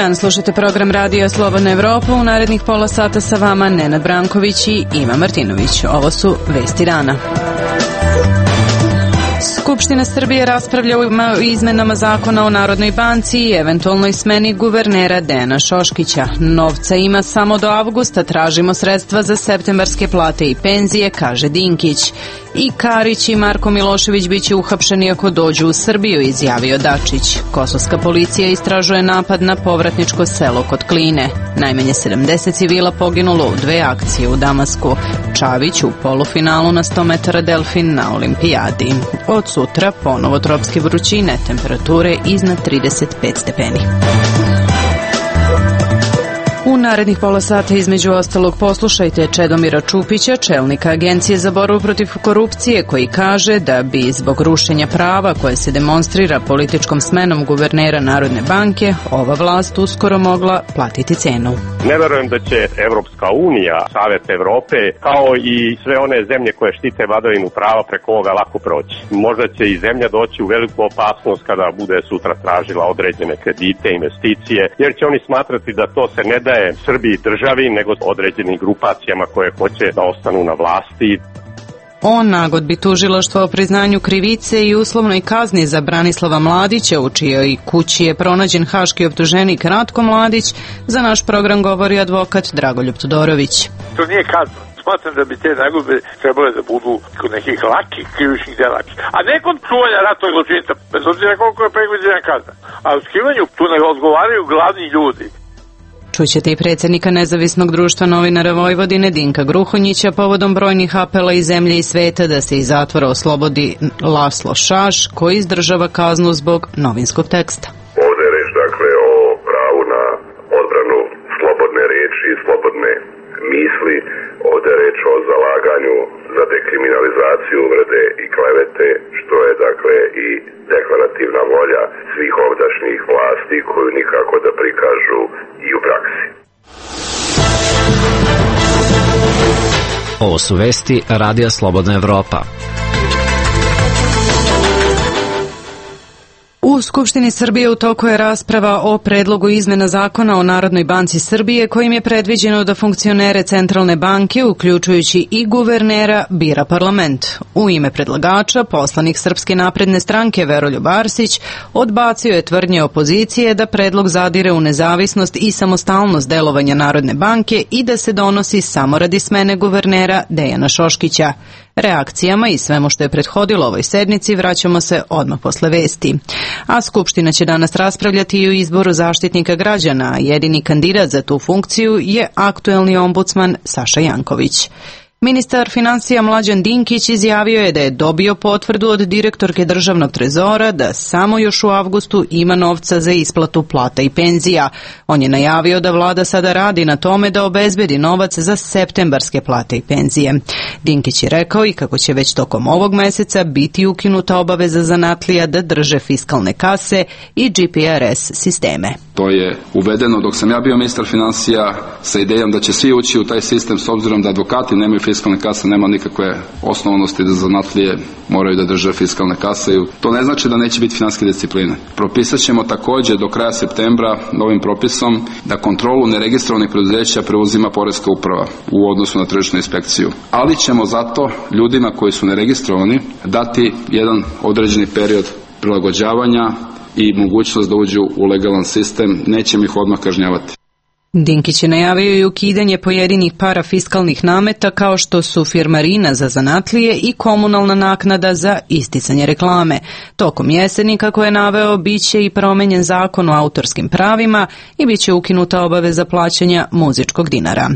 dan, slušate program Radija Slobodna Evropa. U narednih pola sata sa vama Nenad Branković i Iva Martinović. Ovo su vesti dana. Skupština Srbije raspravlja o izmenama zakona o Narodnoj banci i eventualnoj smeni guvernera Dejana Šoškića. Novca ima samo do avgusta, tražimo sredstva za septembarske plate i penzije, kaže Dinkić. I Karić i Marko Milošević biće uhapšeni ako dođu u Srbiju, izjavio Dačić. Kosovska policija istražuje napad na povratničko selo kod Kline. Najmanje 70 civila poginulo u 2 akcije u Damasku. Čavić u polufinalu na 100 metara delfin na olimpijadi. Od sutra ponovo tropske vrućine, temperature iznad 35 stepeni. U narednih pola sata između ostalog poslušajte Čedomira Čupića, čelnika Agencije za borbu protiv korupcije, koji kaže da bi zbog rušenja prava koje se demonstrira političkom smenom guvernera Narodne banke ova vlast uskoro mogla platiti cenu. Ne verujem da će Evropska unija, Savet Evrope, kao i sve one zemlje koje štite vladavinu prava preko ovoga lako proći. Možda će i zemlja doći u veliku opasnost kada bude sutra tražila određene kredite, investicije, jer će oni smatrati da to se ne daje Srbiji državi, nego određenim grupacijama koje hoće da ostanu na vlasti. O nagodbi tužilaštva o priznanju krivice i uslovnoj kazni za Branislava Mladića, u čijoj kući je pronađen haški optuženik Ratko Mladić, za naš program govori advokat Dragoljub Todorović. To nije kazna. Smatram da bi te nagodbe trebale da budu kod nekih lakih krivičnih dela, a ne kod čuvanja ratnog zločinca, bez obzira koliko je predviđena kazna. A u skrivanju tu ne odgovaraju glavni ljudi. Čućete i predsjednika Nezavisnog društva novinara Vojvodine Dinka Gruhonjića povodom brojnih apela iz zemlje i sveta da se iz zatvora oslobodi Laslo Šaš, koji izdržava kaznu zbog novinskog teksta. Ovdje je reč dakle o pravu na odbranu slobodne riječi i slobodne misli. Ovdje je reč o zalaganju za dekriminalizaciju uvrede i klevete, što je dakle i deklarativna volja svih ovdašnjih vlasti koju nikako da prikažu i u praksi. Ovo su vesti Radija Slobodna Evropa. U Skupštini Srbije u toku je rasprava o predlogu izmena zakona o Narodnoj banci Srbije, kojim je predviđeno da funkcionere Centralne banke, uključujući i guvernera, bira parlament. U ime predlagača, poslanik Srpske napredne stranke Veroljub Arsić odbacio je tvrdnje opozicije da predlog zadire u nezavisnost i samostalnost delovanja Narodne banke i da se donosi samo radi smene guvernera Dejana Šoškića. Reakcijama i svemu što je prethodilo ovoj sednici vraćamo se odmah posle vesti. A Skupština će danas raspravljati i o izboru Zaštitnika građana, a jedini kandidat za tu funkciju je aktuelni ombudsman Saša Janković. Ministar finansija Mlađan Dinkić izjavio je da je dobio potvrdu od direktorke Državnog trezora da samo još u avgustu ima novca za isplatu plata i penzija. On je najavio da vlada sada radi na tome da obezbedi novac za septembarske plate i penzije. Dinkić je rekao i kako će već tokom ovog meseca biti ukinuta obaveza zanatlija da drže fiskalne kase i GPRS sisteme. To je uvedeno dok sam ja bio ministar finansija sa idejom da će svi ući u taj sistem, s obzirom da advokati nemaju fiskalne kase, nema nikakve osnovanosti da zanatlije moraju da drže fiskalne kase. To ne znači da neće biti finansijske discipline. Propisat ćemo također do kraja septembra novim propisom da kontrolu neregistrovanih preduzeća preuzima Poreska uprava u odnosu na tržišnu inspekciju. Ali ćemo zato ljudima koji su neregistrovani dati jedan određeni period prilagođavanja i mogućnost da uđu u legalan sistem, nećemo ih odmah kažnjavati. Dinkić je najavio i ukidanje pojedinih parafiskalnih nameta kao što su firmarina za zanatlije i komunalna naknada za isticanje reklame. Tokom jeseni, kako je naveo, biće i promenjen zakon o autorskim pravima i biće ukinuta obaveza plaćanja muzičkog dinara.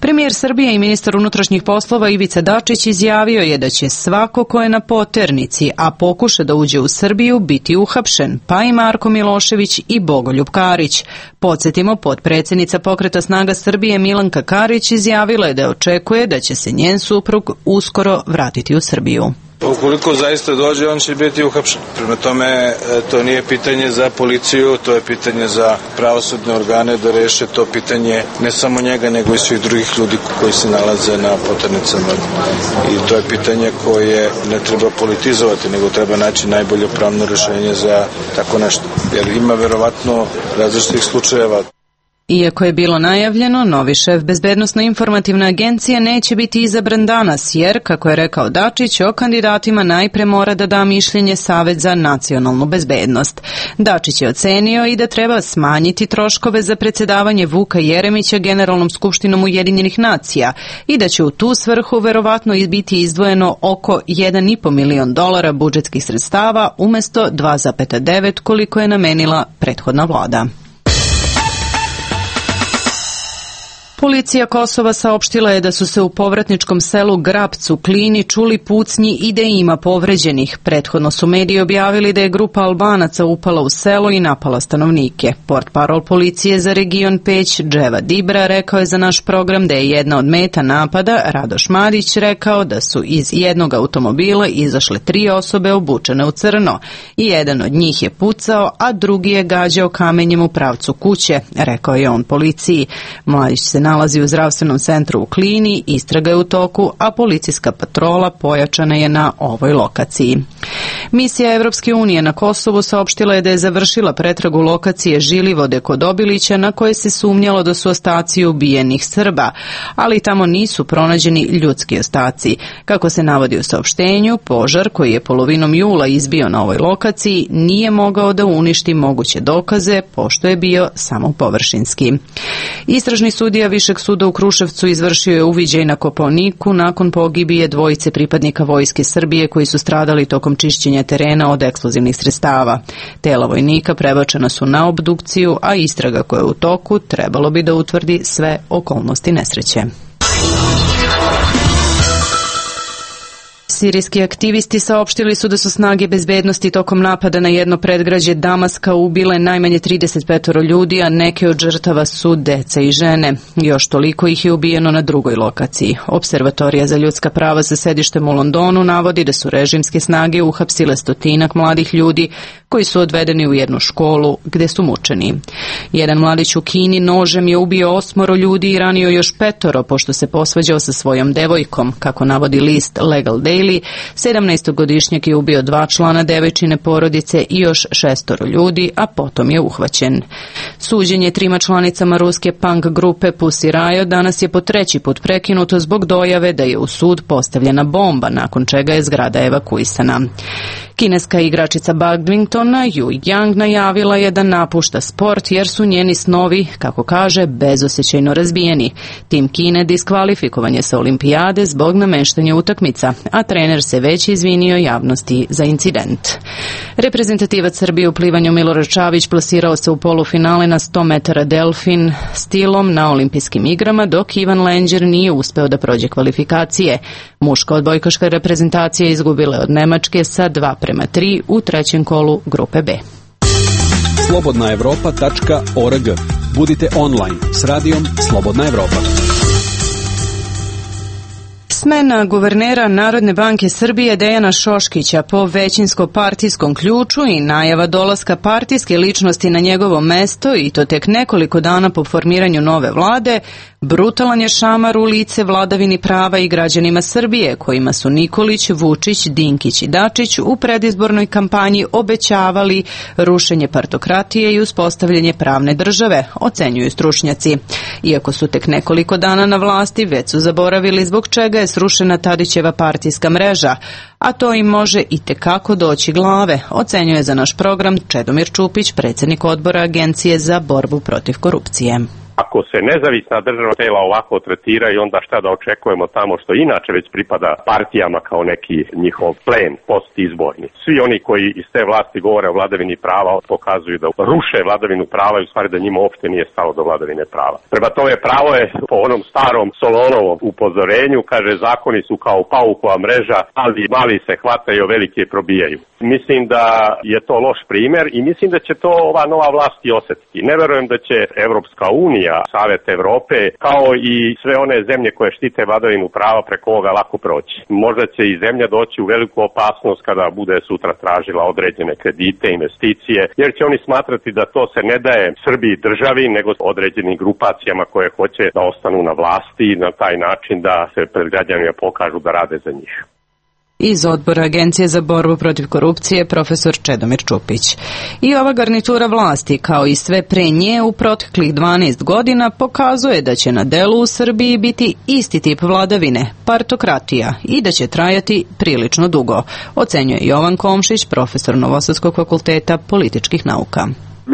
Premijer Srbije i ministar unutrašnjih poslova Ivica Dačić izjavio je da će svako ko je na poternici, a pokuša da uđe u Srbiju, biti uhapšen, pa i Marko Milošević i Bogoljub Karić. Podsjetimo, potpredsjednica Pokreta snaga Srbije Milanka Karić izjavila je da očekuje da će se njen suprug uskoro vratiti u Srbiju. Ukoliko zaista dođe, on će biti uhapšen. Prema tome, to nije pitanje za policiju, to je pitanje za pravosudne organe da reše to pitanje ne samo njega, nego i svih drugih ljudi koji se nalaze na poternicama. I to je pitanje koje ne treba politizovati, nego treba naći najbolje pravno rešenje za tako nešto. jer ima verovatno različitih slučajeva. Iako je bilo najavljeno, novi šef Bezbednosno-informativne agencije neće biti izabran danas, jer, kako je rekao Dačić, o kandidatima najpre mora da da mišljenje Savet za nacionalnu bezbednost. Dačić je ocenio i da treba smanjiti troškove za predsjedavanje Vuka Jeremića Generalnom skupštinom Ujedinjenih nacija i da će u tu svrhu verovatno biti izdvojeno oko $1,5 milion budžetskih sredstava umjesto 2,9 koliko je namenila prethodna vlada. Policija Kosova saopštila je da su se u povratničkom selu Grabc u Klini čuli pucnji i da ima povređenih. Prethodno su mediji objavili da je grupa Albanaca upala u selo i napala stanovnike. Portparol policije za region Peć, Dževa Dibra, rekao je za naš program da je jedna od meta napada, Radoš Madić, rekao da su iz jednog automobila izašle 3 osobe obučene u crno. I jedan od njih je pucao, a drugi je gađao kamenjem u pravcu kuće, rekao je on policiji. Mladić se nalazi u zdravstvenom centru u Klini, istraga je u toku, a policijska patrola pojačana je na ovoj lokaciji. Misija Evropske unije na Kosovu saopštila je da je završila pretragu lokacije Žilivode kod Obilića na koje se sumnjalo da su ostaci ubijenih Srba, ali tamo nisu pronađeni ljudski ostaci. Kako se navodi u saopštenju, požar koji je polovinom jula izbio na ovoj lokaciji nije mogao da uništi moguće dokaze, pošto je bio samo površinski. Istražni sudija Višeg suda u Kruševcu izvršio je uviđaj na Kopaoniku nakon pogibije 2 pripadnika Vojske Srbije koji su stradali tokom čišćenja terena od eksplozivnih sredstava. Tela vojnika prebačena su na obdukciju, a istraga koja je u toku trebalo bi da utvrdi sve okolnosti nesreće. Sirijski aktivisti saopštili su da su snage bezbednosti tokom napada na jedno predgrađe Damaska ubile najmanje 35 ljudi, a neke od žrtava su deca i žene. Još toliko ih je ubijeno na drugoj lokaciji. Observatorija za ljudska prava sa sedištem u Londonu navodi da su režimske snage uhapsile 100 mladih ljudi koji su odvedeni u jednu školu gde su mučeni. Jedan mladić u Kini nožem je ubio 8 ljudi i ranio još 5 pošto se posvađao sa svojom devojkom, kako navodi list Legal Daily. 17-godišnjak je ubio 2 člana devojčine porodice i još 6 ljudi, a potom je uhvaćen. Suđenje 3 članicama ruske punk grupe Pussy Riot danas je po 3 put prekinuto zbog dojave da je u sud postavljena bomba, nakon čega je zgrada evakuisana. Kineska igračica badmintona Yu Yang najavila je da napušta sport jer su njeni snovi, kako kaže, bezosećajno razbijeni. Tim Kine diskvalifikovan je sa olimpijade zbog nameštanja utakmica, a trener se već izvinio javnosti za incident. Reprezentativac Srbije u plivanju Milorad Čavić plasirao se u polufinale na 100 metara delfin stilom na olimpijskim igrama, dok Ivan Lenđer nije uspeo da prođe kvalifikacije. Muška odbojkaška reprezentacija izgubila od Nemačke sa 2:3 u 3. kolu grupe B. slobodnaevropa.org. Budite online s radijom Slobodna Evropa. Smena guvernera Narodne banke Srbije Dejana Šoškića po većinsko-partijskom ključu i najava dolaska partijske ličnosti na njegovo mesto, i to tek nekoliko dana po formiranju nove vlade, brutalan je šamar u lice vladavini prava i građanima Srbije, kojima su Nikolić, Vučić, Dinkić i Dačić u predizbornoj kampanji obećavali rušenje partokratije i uspostavljanje pravne države, ocenjuju stručnjaci. Iako su tek nekoliko dana na vlasti, već su zaboravili zbog čega je srušena Tadićeva partijska mreža, a to im može i tekako doći glave, ocenjuje za naš program Čedomir Čupić, predsjednik odbora Agencije za borbu protiv korupcije. Ako se nezavisna državna tela ovako tretiraju, onda šta da očekujemo tamo što inače već pripada partijama kao neki njihov plen postizborni. Svi oni koji iz te vlasti govore o vladavini prava pokazuju da ruše vladavinu prava i u stvari da njima uopšte nije stalo do vladavine prava. Prema tome, pravo je po onom starom Solonovom upozorenju, kaže, zakoni su kao paukova mreža, ali mali se hvataju, veliki je probijaju. Mislim da je to loš primjer i mislim da će to ova nova vlast i osjetiti. Ne verujem da će Evropska unija, Savet Evrope, kao i sve one zemlje koje štite vladavinu prava preko ovoga lako proći. Možda će i zemlja doći u veliku opasnost kada bude sutra tražila određene kredite, investicije, jer će oni smatrati da to se ne daje Srbiji državi, nego određenim grupacijama koje hoće da ostanu na vlasti i na taj način da se pred građanima pokažu da rade za njih. iz odbora Agencije za borbu protiv korupcije profesor Čedomir Čupić. I ova garnitura vlasti, kao i sve pre nje u proteklih 12 godina, pokazuje da će na delu u Srbiji biti isti tip vladavine, partokratija, i da će trajati prilično dugo, ocenjuje Jovan Komšić, profesor Novosadskog fakulteta političkih nauka.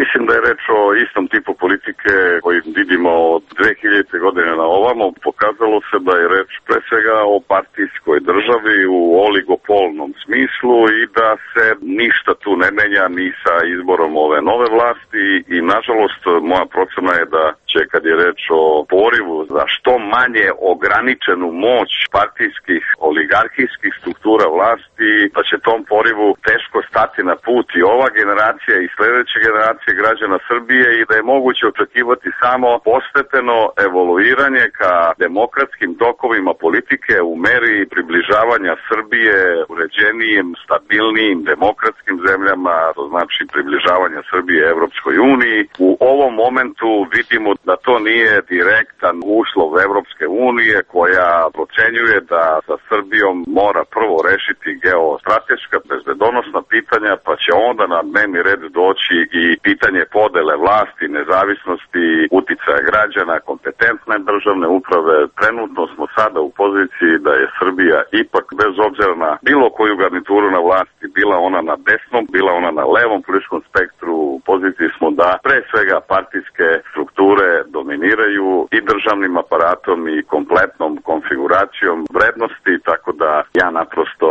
Mislim da je reč o istom tipu politike koji vidimo od 2000. godine na ovamo. Pokazalo se da je reč pre svega o partijskoj državi u oligopolnom smislu i da se ništa tu ne menja ni sa izborom ove nove vlasti i nažalost moja procena je da će, kad je reč o porivu za što manje ograničenu moć partijskih oligarhijskih struktura vlasti, da će tom porivu teško stati na put i ova generacija i sledeće generacije građana Srbije i da je moguće očekivati samo postepeno evoluiranje ka demokratskim tokovima politike u meri približavanja Srbije uređenijim, stabilnijim, demokratskim zemljama, to znači približavanja Srbije Evropskoj uniji. U ovom momentu vidimo da to nije direktan uslov Evropske unije koja procenjuje da sa Srbijom mora prvo rešiti geostrateška bezbedonosna pitanja, pa će onda na dnevni red doći i pitanje podele vlasti, nezavisnosti, uticaja građana, kompetentne državne uprave. Trenutno smo sada u poziciji da je Srbija ipak, bez obzira na bilo koju garnituru na vlasti, bila ona na desnom, bila ona na levom političkom spektru, u poziciji smo da pre svega partijske strukture dominiraju i državnim aparatom i kompletnom konfiguracijom vrednosti, tako da ja naprosto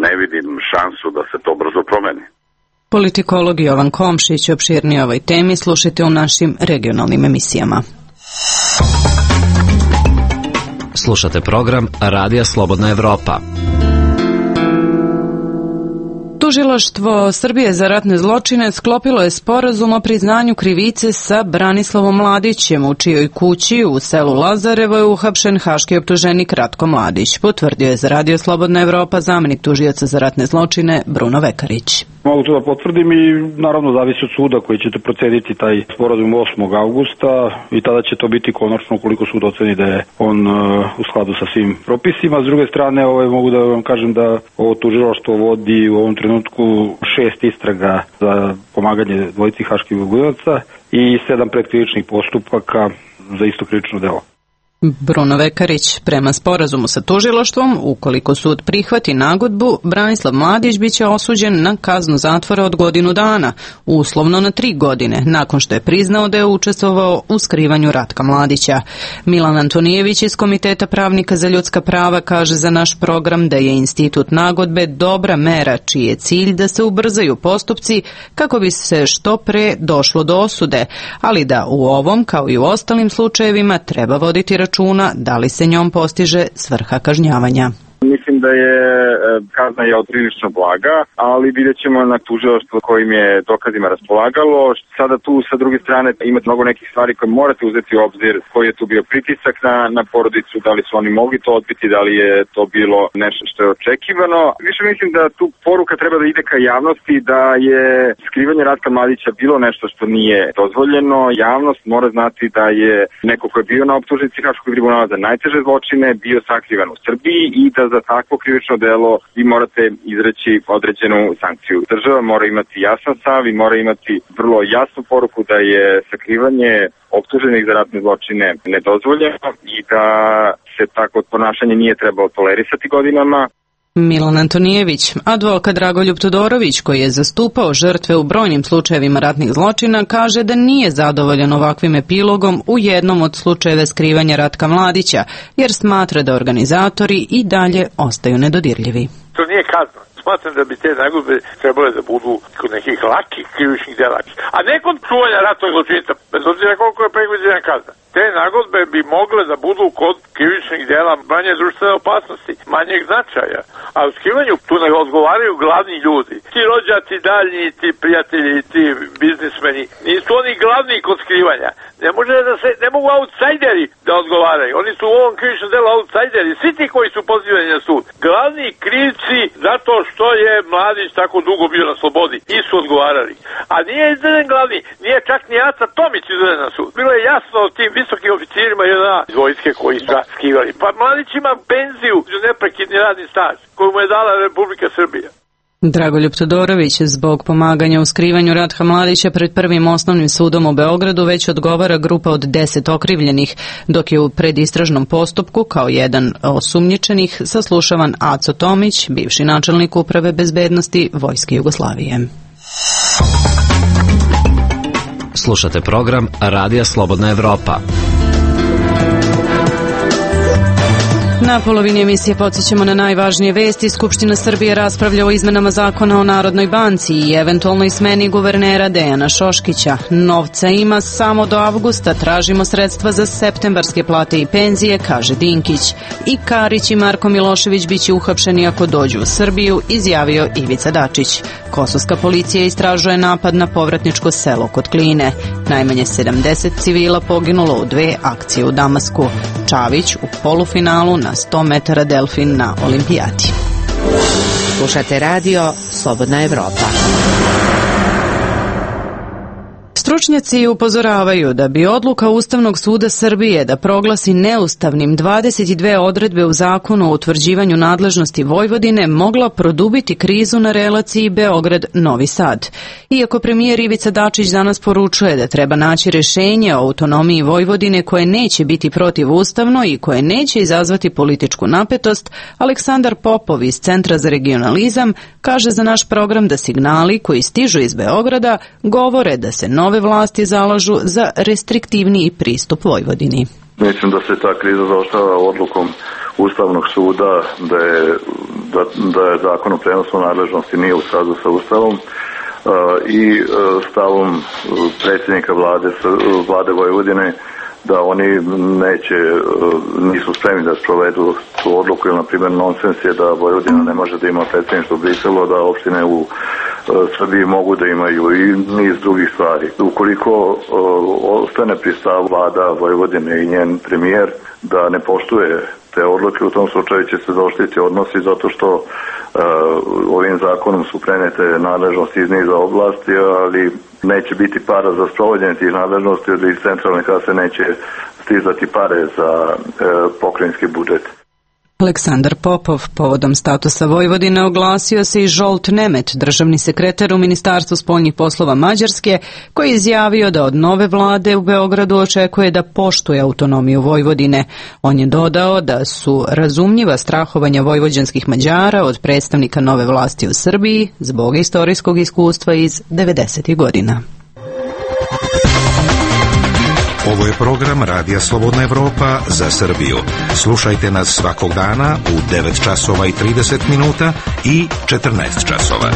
ne vidim šansu da se to brzo promeni. Politikolog Jovan Komšić, opširnije ovoj temi slušajte u našim regionalnim emisijama. Slušate program Radija Slobodna Evropa. Tužilaštvo Srbije za ratne zločine sklopilo je sporazum o priznanju krivice sa Branislavom Mladićem, u čijoj kući u selu Lazarevo je uhapšen haški optuženik Ratko Mladić, potvrdio je za Radio Slobodna Evropa zamenik tužioca za ratne zločine Bruno Vekarić. Mogu to da potvrdim i naravno zavisi od suda koji ćete proceniti taj sporazum 8. augusta i tada će to biti konačno ukoliko sud oceni da je on u skladu sa svim propisima. S druge strane, mogu da vam kažem da ovo tužilaštvo vodi u ovom trenutku 6 istraga za pomaganje dvojici haških ogunaca i 7 predkrivičnih postupaka za isto krivično delo. Bruno Vekarić, prema sporazumu sa tužilaštvom, ukoliko sud prihvati nagodbu, Branislav Mladić biće osuđen na kaznu zatvora od godinu dana, uslovno na 3 godine, nakon što je priznao da je učestvovao u skrivanju Ratka Mladića. Milan Antonijević iz Komiteta pravnika za ljudska prava kaže za naš program da je institut nagodbe dobra mera čiji je cilj da se ubrzaju postupci kako bi se što pre došlo do osude, ali da u ovom, kao i u ostalim slučajevima, treba voditi računa da li se njom postiže svrha kažnjavanja. Mislim da je kazna je prilično blaga, ali vidjet ćemo na tužilaštvo kojim je dokazima raspolagalo. Sada tu sa druge strane imate mnogo nekih stvari koje morate uzeti u obzir, koji je tu bio pritisak na porodicu, da li su oni mogli to odbiti, da li je to bilo nešto što je očekivano. Više mislim da tu poruka treba da ide ka javnosti, da je skrivanje Ratka Mladića bilo nešto što nije dozvoljeno. Javnost mora znati da je neko ko je bio na optužnici Haškog tribunala za najteže zločine bio sakrivan u Srbiji i da za takvo krivično delo vi morate izreći određenu sankciju. Država mora imati jasan stav i mora imati vrlo jasnu poruku da je sakrivanje optuženih za ratne zločine nedozvoljeno i da se tako ponašanje nije trebalo tolerisati godinama. Milan Antonijević, advokat Dragoljub Todorović, koji je zastupao žrtve u brojnim slučajevima ratnih zločina, kaže da nije zadovoljan ovakvim epilogom u jednom od slučajeva skrivanja Ratka Mladića, jer smatra da organizatori i dalje ostaju nedodirljivi. To nije kazna. Smatram da bi te nagodbe trebale da budu kod nekih lakih krivičnih dela, a ne kod čuvanja ratnog zločinca, bez obzira koliko je predviđena kazna. Te nagodbe bi mogle da budu kod krivičnih dela manje društvene opasnosti, manjeg značaja. A u skrivanju tu ne odgovaraju glavni ljudi. Ti rođaci daljni, ti prijatelji, ti biznismeni, nisu oni glavni kod skrivanja, Ne mogu outsideri da odgovaraju. Oni su u ovom krivičnom delu outsideri. Svi ti koji su pozivani na sud. Glavni krivci zato što je Mladić tako dugo bio na slobodi. I su odgovarali. A nije izveden glavni. Nije čak ni Aca Tomić izveden na sud. Bilo je jasno o tim visokim oficirima iz vojske koji su skivali. Pa Mladić ima penziju za neprekidni radni staž koju mu je dala Republika Srbija. Dragoljub Todorović zbog pomaganja u skrivanju Ratka Mladića pred Prvim osnovnim sudom u Beogradu već odgovara grupa od 10 okrivljenih, dok je u predistražnom postupku kao jedan osumnjičenih saslušavan Aco Tomić, bivši načelnik Uprave bezbednosti Vojske Jugoslavije. Slušate program Radija Slobodna Evropa. Na polovini emisije podsjećamo na najvažnije vesti. Skupština Srbije raspravlja o izmenama zakona o Narodnoj banci i eventualnoj smeni guvernera Dejana Šoškića. Novca ima samo do avgusta, tražimo sredstva za septembarske plate i penzije, kaže Dinkić. I Karić i Marko Milošević biće uhapšeni ako dođu u Srbiju, izjavio Ivica Dačić. Kosovska policija istražuje napad na povratničko selo kod Kline. Najmanje 70 civila poginulo u 2 akcije u Damasku. Čavić u polufinalu na 100 metara delfin na olimpijadi. Slušate radio Slobodna Evropa. Stručnjaci upozoravaju da bi odluka Ustavnog suda Srbije da proglasi neustavnim 22 odredbe u zakonu o utvrđivanju nadležnosti Vojvodine mogla produbiti krizu na relaciji Beograd-Novi Sad. Iako premijer Ivica Dačić danas poručuje da treba naći rješenje o autonomiji Vojvodine koje neće biti protivustavno i koje neće izazvati političku napetost, Aleksandar Popov iz Centra za regionalizam kaže za naš program da signali koji stižu iz Beograda govore da se nove vlasti zalažu za restriktivniji pristup Vojvodini. Mislim da se ta kriza završava odlukom Ustavnog suda da je zakon o prenosu nadležnosti nije u skladu sa Ustavom i stavom predsjednika vlade Vojvodine da oni nisu spremni da sprovedu tu odluku, jer na primjer nonsens je da Vojvodina ne može da ima predsjedništvo u Briselu, da opštine u Srbiji mogu da imaju i niz drugih stvari. Ukoliko ostane pri stavu vlada Vojvodine i njen premijer da ne poštuje te odluke, u tom slučaju će se zaoštriti odnosi zato što ovim zakonom su prenete nadležnosti iz niza oblasti, ali neće biti para za sprovođenje tih nadležnosti, jer iz centralne kase neće stizati pare za pokrajinski budžet. Aleksandar Popov povodom statusa Vojvodine oglasio se i Žolt Nemet, državni sekretar u Ministarstvu spoljnih poslova Mađarske, koji je izjavio da od nove vlade u Beogradu očekuje da poštuje autonomiju Vojvodine. On je dodao da su razumljiva strahovanja vojvođanskih Mađara od predstavnika nove vlasti u Srbiji zbog istorijskog iskustva iz 90. godina. Ovo je program Radija Slobodna Evropa za Srbiju. Slušajte nas svakog dana u 9 časova i 30 minuta i 14 časova.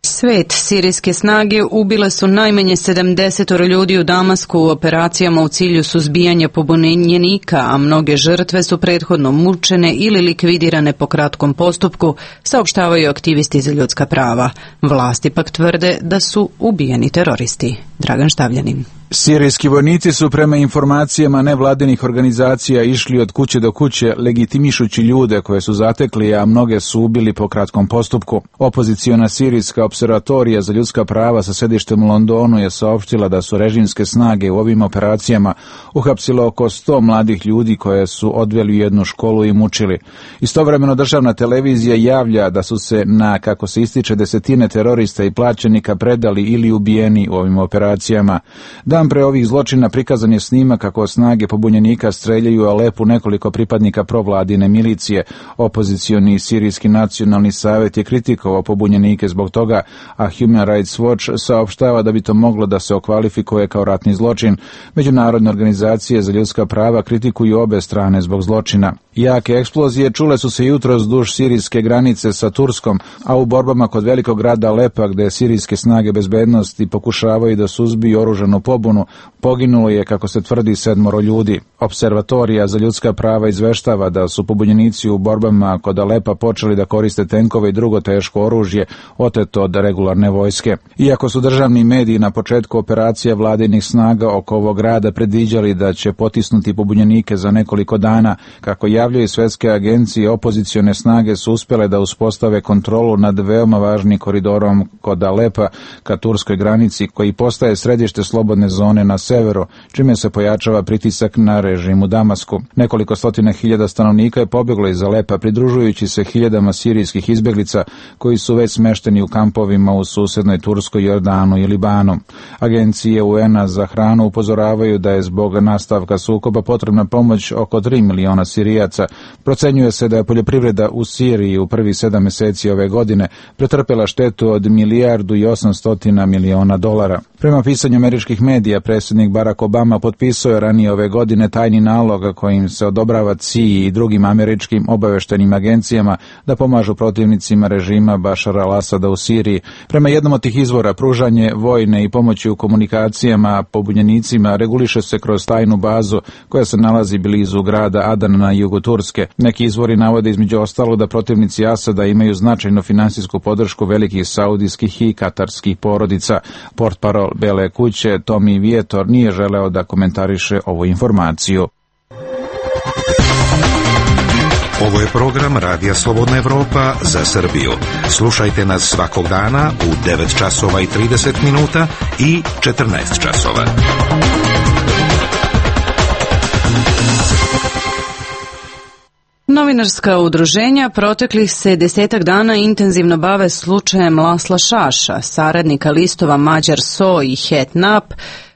Svet, sirijske snage ubile su najmanje 70 ljudi u Damasku u operacijama u cilju suzbijanja pobunjenika, a mnoge žrtve su prethodno mučene ili likvidirane po kratkom postupku, saopštavaju aktivisti za ljudska prava. Vlasti pak tvrde da su ubijeni teroristi. Dragan Štavljanin. Sirijski vojnici su prema informacijama nevladinih organizacija išli od kuće do kuće legitimišući ljude koje su zatekli, a mnoge su ubili po kratkom postupku. Opoziciona sirijska observatorija za ljudska prava sa sedištem u Londonu je saopštila da su režimske snage u ovim operacijama uhapsile oko 100 mladih ljudi koje su odveli u jednu školu i mučili. Istovremeno državna televizija javlja da su se na, kako se ističe, desetine terorista i plaćenika predali ili ubijeni u ovim operacijama. Dan pre ovih zločina prikazan je snimak kako snage pobunjenika streljaju u Alepu nekoliko pripadnika provladine milicije. Opozicioni sirijski nacionalni savjet je kritikovao pobunjenike zbog toga, a Human Rights Watch saopštava da bi to moglo da se okvalifikuje kao ratni zločin. Međunarodne organizacije za ljudska prava kritikuju obe strane zbog zločina. Jake eksplozije čule su se jutros duž sirijske granice sa Turskom, a u borbama kod velikog grada Alepa, gde sirijske snage bezbednosti pokušavaju da suzbiju oružanu pobunu, pobunu poginulo je, kako se tvrdi, 7 ljudi. Observatorija za ljudska prava izveštava da su pobunjenici u borbama kod Alepa počeli da koriste tenkove i drugo teško oružje oteto od regularne vojske. Iako su državni mediji na početku operacija vladinih snaga oko ovog grada predviđali da će potisnuti pobunjenike za nekoliko dana, kako javljaju svetske agencije, opozicione snage su uspjele da uspostave kontrolu nad veoma važnim koridorom kod Alepa ka turskoj granici, koji postaje središte slobodne zone na severu, čime se pojačava pritisak na režim u Damasku. Nekoliko stotina hiljada stanovnika je pobjeglo iz Alepa, pridružujući se hiljadama sirijskih izbjeglica koji su već smešteni u kampovima u susednoj Turskoj, Jordanu i Libanu. Agencije UN-a za hranu upozoravaju da je zbog nastavka sukoba potrebna pomoć oko 3 miliona Sirijaca. Procenjuje se da je poljoprivreda u Siriji u prvih 7 mjeseci ove godine pretrpela štetu od $1,8 milijardi. Prema pisanju američkih medija, predsjednik Barack Obama potpisao je ranije ove godine tajni nalog kojim se odobrava CIA i drugim američkim obavještajnim agencijama da pomažu protivnicima režima Bašara al-Asada u Siriji. Prema jednom od tih izvora, pružanje vojne i pomoći u komunikacijama pobunjenicima reguliše se kroz tajnu bazu koja se nalazi blizu grada Adan na jugu Turske. Neki izvori navode između ostalog da protivnici Asada imaju značajnu finansijsku podršku velikih saudijskih i katarskih porodica. Portparol Bele kuće Tommy Vietor nije želeo da komentariše ovu informaciju. Ovo je program Radija Slobodna Evropa za Srbiju. Slušajte nas svakog dana u 9 časova i 30 minuta i 14 časova. Novinarska udruženja proteklih se 10 dana intenzivno bave slučajem Lasla Šaša, saradnika listova Mađar So i Het Nap,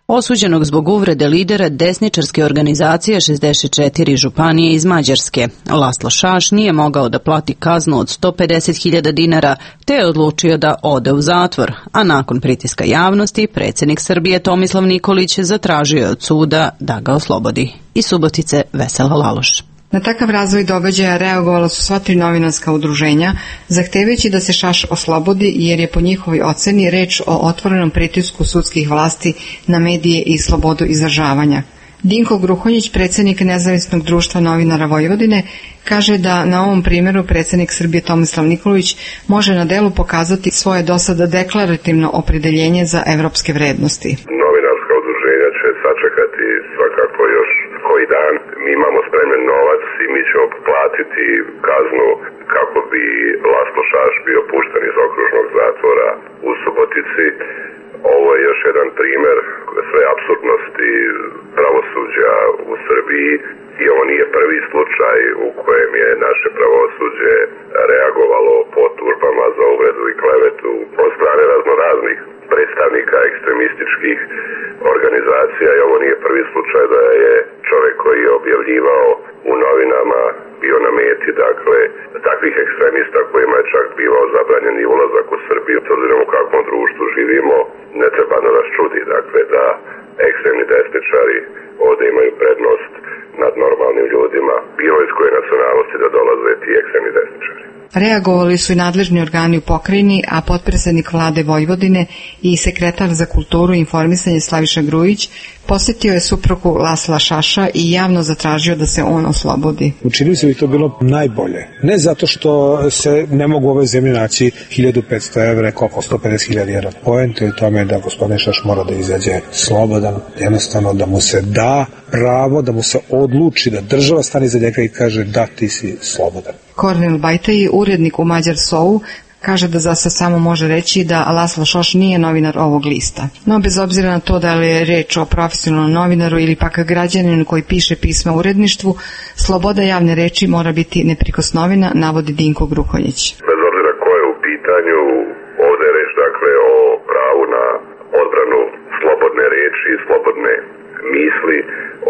osuđenog zbog uvrede lidera desničarske organizacije 64 županije iz Mađarske. Laslo Šaš nije mogao da plati kaznu od 150.000 dinara, te je odlučio da ode u zatvor, a nakon pritiska javnosti, predsjednik Srbije Tomislav Nikolić zatražio je od suda da ga oslobodi. Iz Subotice Vesela Laloš. Na takav razvoj događaja reagovala su sva 3 novinarska udruženja, zahtevajući da se Šaš oslobodi, jer je po njihovoj oceni reč o otvorenom pritisku sudskih vlasti na medije i slobodu izražavanja. Dinko Gruhonjić, predsjednik Nezavisnog društva novinara Vojvodine, kaže da na ovom primjeru predsjednik Srbije Tomislav Nikolić može na delu pokazati svoje dosada deklarativno opredeljenje za evropske vrednosti. Novinarska udruženja će sačekati svakako još koji dan. Mi imamo spremljen novac i mi ćemo platiti kaznu kako bi Laslo Šaš bio pušten iz okružnog zatvora u Subotici. Ovo je još jedan primjer sve apsurdnosti pravosuđa u Srbiji i ovo nije prvi slučaj u kojem je naše pravosuđe reagovalo po tužbama za uvredu i klevetu od strane raznoraznih predstavnika ekstremističkih organizacija i ovo nije prvi slučaj da je čovjek koji je objavljivao u novinama bio na meti, dakle, takvih ekstremista kojima je čak bivao zabranjen i ulazak u Srbiju. S obzirom u kakvom društvu živimo, ne treba da nas čudi, dakle, da ekstremni desničari ovdje imaju prednost nad normalnim ljudima, bilo iz koje nacionalnosti da dolaze ti ekstremni desničari. Reagovali su i nadležni organi u pokrajini, a potpredsjednik vlade Vojvodine i sekretar za kulturu i informisanje Slaviša Grujić posjetio je suprugu Lasla Šaša i javno zatražio da se on oslobodi. Učinili se bi to bilo najbolje. Ne zato što se ne mogu u ovoj zemlji naći 1500 evra, koliko 150.000 evra. Poenta je u tome da gospodin Šaš mora da izađe slobodan, jednostavno da mu se da pravo, da mu se odluči, da država stane iza njega i kaže da ti si slobodan. Kornel Bajtaj, urednik u Mađar So-u, kaže da za sad samo može reći da Laslo Šaš nije novinar ovog lista. No, bez obzira na to da li je reč o profesionalnom novinaru ili pak građaninu koji piše pisma uredništvu, sloboda javne reči mora biti neprikosnovena, navodi Dinko Gruhonjić. Bez obzira ko je u pitanju, ovdje je reč dakle o pravu na odbranu slobodne reči i slobodne misli,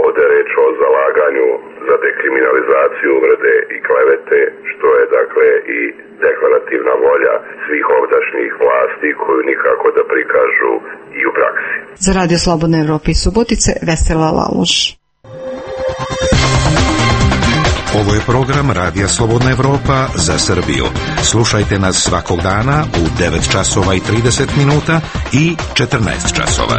ovdje je reč o zalaganju za dekriminalizaciju uvrede i klevete, što je dakle i deklarativna volja svih ovdašnjih vlasti koju nikako da prikažu i u praksi. Za Radio Slobodne Evrope iz Subotice, Vesela Laloš. Ovo je program Radija Slobodna Evropa za Srbiju. Slušajte nas svakog dana u 9 časova i 30 minuta i 14 časova.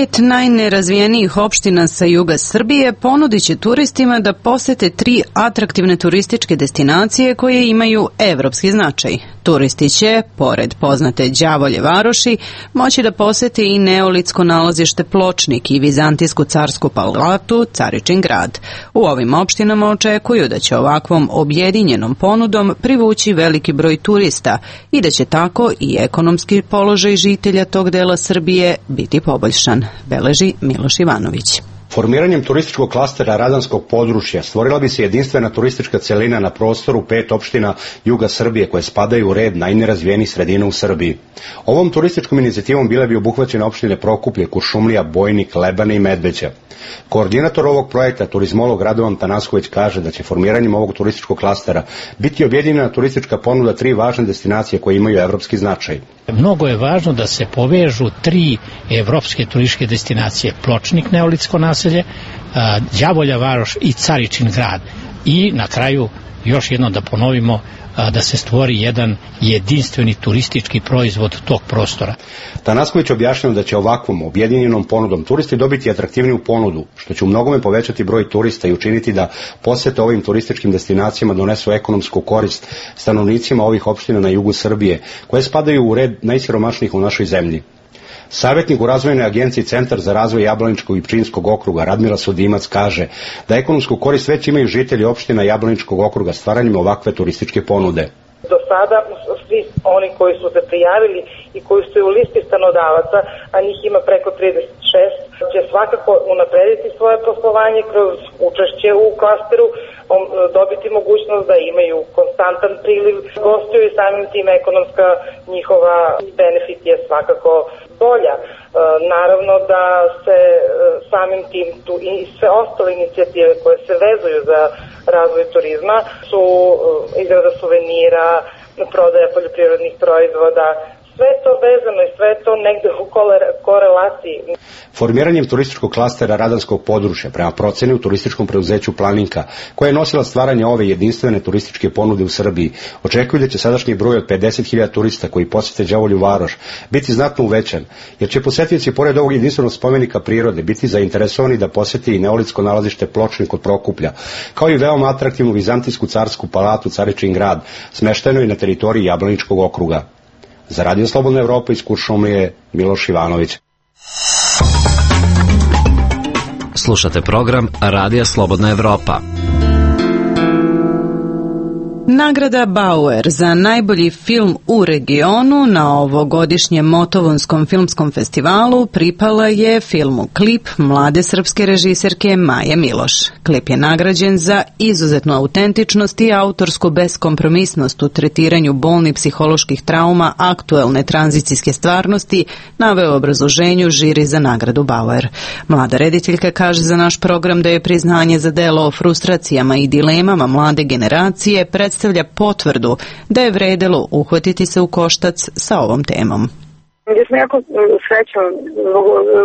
5 najnerazvijenijih opština sa juga Srbije ponudit će turistima da posete 3 atraktivne turističke destinacije koje imaju evropski značaj. Turisti će, pored poznate Đavolje varoši, moći da posete i neolitsko nalazište Pločnik i vizantijsku carsku palatu Caričin grad. U ovim opštinama očekuju da će ovakvom objedinjenom ponudom privući veliki broj turista i da će tako i ekonomski položaj žitelja tog dela Srbije biti poboljšan, beleži Miloš Ivanović. Formiranjem turističkog klastera radanskog područja stvorila bi se jedinstvena turistička celina na prostoru 5 opština juga Srbije koje spadaju u red najnerazvijenijih sredina u Srbiji. Ovom turističkom inicijativom bile bi obuhvaćene opštine Prokuplje, Kuršumlija, Bojnik, Lebane i Medveđa. Koordinator ovog projekta, turizmolog Radovan Tanasković, kaže da će formiranjem ovog turističkog klastera biti objedinjena turistička ponuda 3 važne destinacije koje imaju evropski značaj. Mnogo je važno da se povežu 3 evropske turističke destinacije: Pločnik, neolitsko naselje, Đavolja varoš i Caričin grad. I na kraju još jednom da ponovimo da se stvori jedan jedinstveni turistički proizvod tog prostora. Tanasković objašnjava da će ovakvom objedinjenom ponudom turisti dobiti atraktivniju ponudu, što će u mnogome povećati broj turista i učiniti da posete ovim turističkim destinacijama donesu ekonomsku korist stanovnicima ovih opština na jugu Srbije, koje spadaju u red najsiromašnijih u našoj zemlji. Savjetnik u razvojnoj agenciji Centar za razvoj Jablaničkog i Pčinjskog okruga Radmila Sudimac kaže da ekonomsku korist već imaju žitelji opština Jablaničkog okruga stvaranjem ovakve turističke ponude. Do sada svi oni koji su se prijavili i koji su u listi stanodavaca, a njih ima preko 36, će svakako unaprediti svoje poslovanje kroz učešće u klasteru, dobiti mogućnost da imaju konstantan priliv gostiju i samim tim ekonomska njihova benefit je svakako bolja. Naravno da se samim tim tu i sve ostale inicijative koje se vezuju za razvoj turizma su izrada suvenira, prodaja poljoprivrednih proizvoda, sve to vezano i sve to negde u korelaciji. Formiranjem turističkog klastera radanskog područja prema proceni u turističkom preduzeću Planinka, koja je nosila stvaranje ove jedinstvene turističke ponude u Srbiji, očekuju da će sadašnji broj od 50.000 turista koji posete Đavolju varoš biti znatno uvećan, jer će posetioci pored ovog jedinstvenog spomenika prirode biti zainteresovani da poseti i neolitsko nalazište Pločnik kod Prokuplja, kao i veoma atraktivnu vizantijsku carsku palatu Caričin grad, smešteno i na teritoriji Jablaničkog okruga. Za Radio Slobodna Evropa iz Kuršumlije, Miloš Ivanović. Slušate program Radija Slobodna Evropa. Nagrada Bauer za najbolji film u regionu na ovogodišnjem Motovonskom filmskom festivalu pripala je filmu Klip mlade srpske režiserke Maje Miloš. Klip je nagrađen za izuzetnu autentičnost i autorsku beskompromisnost u tretiranju bolnih psiholoških trauma aktuelne tranzicijske stvarnosti, naveo obrazloženju žiri za nagradu Bauer. Mlada rediteljka kaže za naš program da je priznanje za delo o frustracijama i dilemama mlade generacije predstavlja potvrdu da je vredelo uhvatiti se u koštac sa ovom temom. Ja sam jako srećna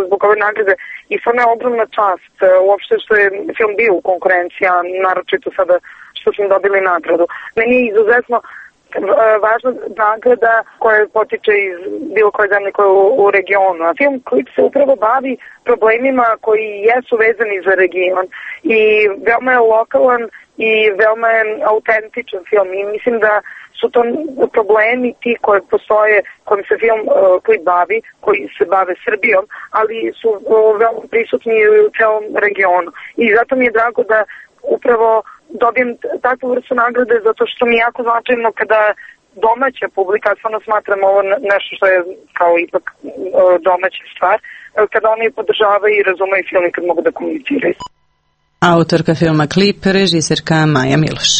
zbog ove nagrade i stvarno je ogromna čast uopšte što je film bio u konkurenciji, a naročito sada što smo dobili nagradu. Meni je izuzetno važna nagrada koja potiče iz bilo koje zemlje koje u regionu. A film Klip se upravo bavi problemima koji jesu vezani za region i veoma je lokalan i veoma je autentičan film i mislim da su to problemi ti koje postoje, kojim se film Klip bavi, koji se bave Srbijom, ali su veoma prisutni u celom regionu. I zato mi je drago da upravo dobijem takvu vrstu nagrade zato što mi je jako značajno kada domaća publika, stvarno smatram ovo nešto što je kao ipak domaća stvar, kada oni podržavaju i razumeju film i kad mogu da komuniciraju. Autorka filma Klip, režiserka Maja Miloš.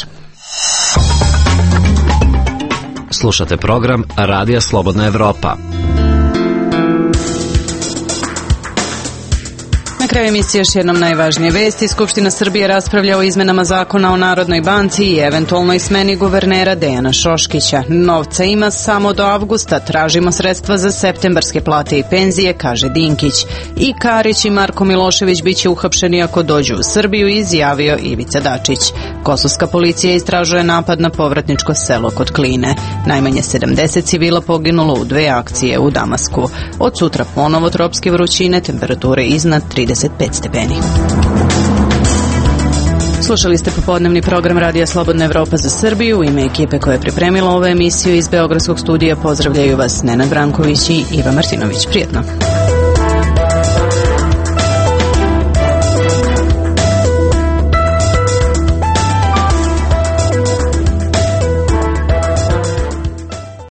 Slušate program Radija Slobodna Evropa. Na Na kraju emisije još jednom najvažnije vesti. Skupština Srbije raspravlja o izmenama zakona o Narodnoj banci i eventualnoj smeni guvernera Dejana Šoškića. Novca ima samo do avgusta, tražimo sredstva za septembarske plate i penzije, kaže Dinkić. I Karić i Marko Milošević biće uhapšeni ako dođu u Srbiju, izjavio Ivica Dačić. Kosovska policija istražuje napad na povratničko selo kod Kline. Najmanje 70 civila poginulo u 2 akcije u Damasku. Od sutra ponovo tropske vrućine, temperature iznad 35 stepeni. Slušali ste popodnevni program Radija Slobodna Evropa za Srbiju. U ime ekipe koja je pripremila ovu emisiju iz Beogradskog studija pozdravljaju vas Nenad Branković i Iva Martinović. Prijetno.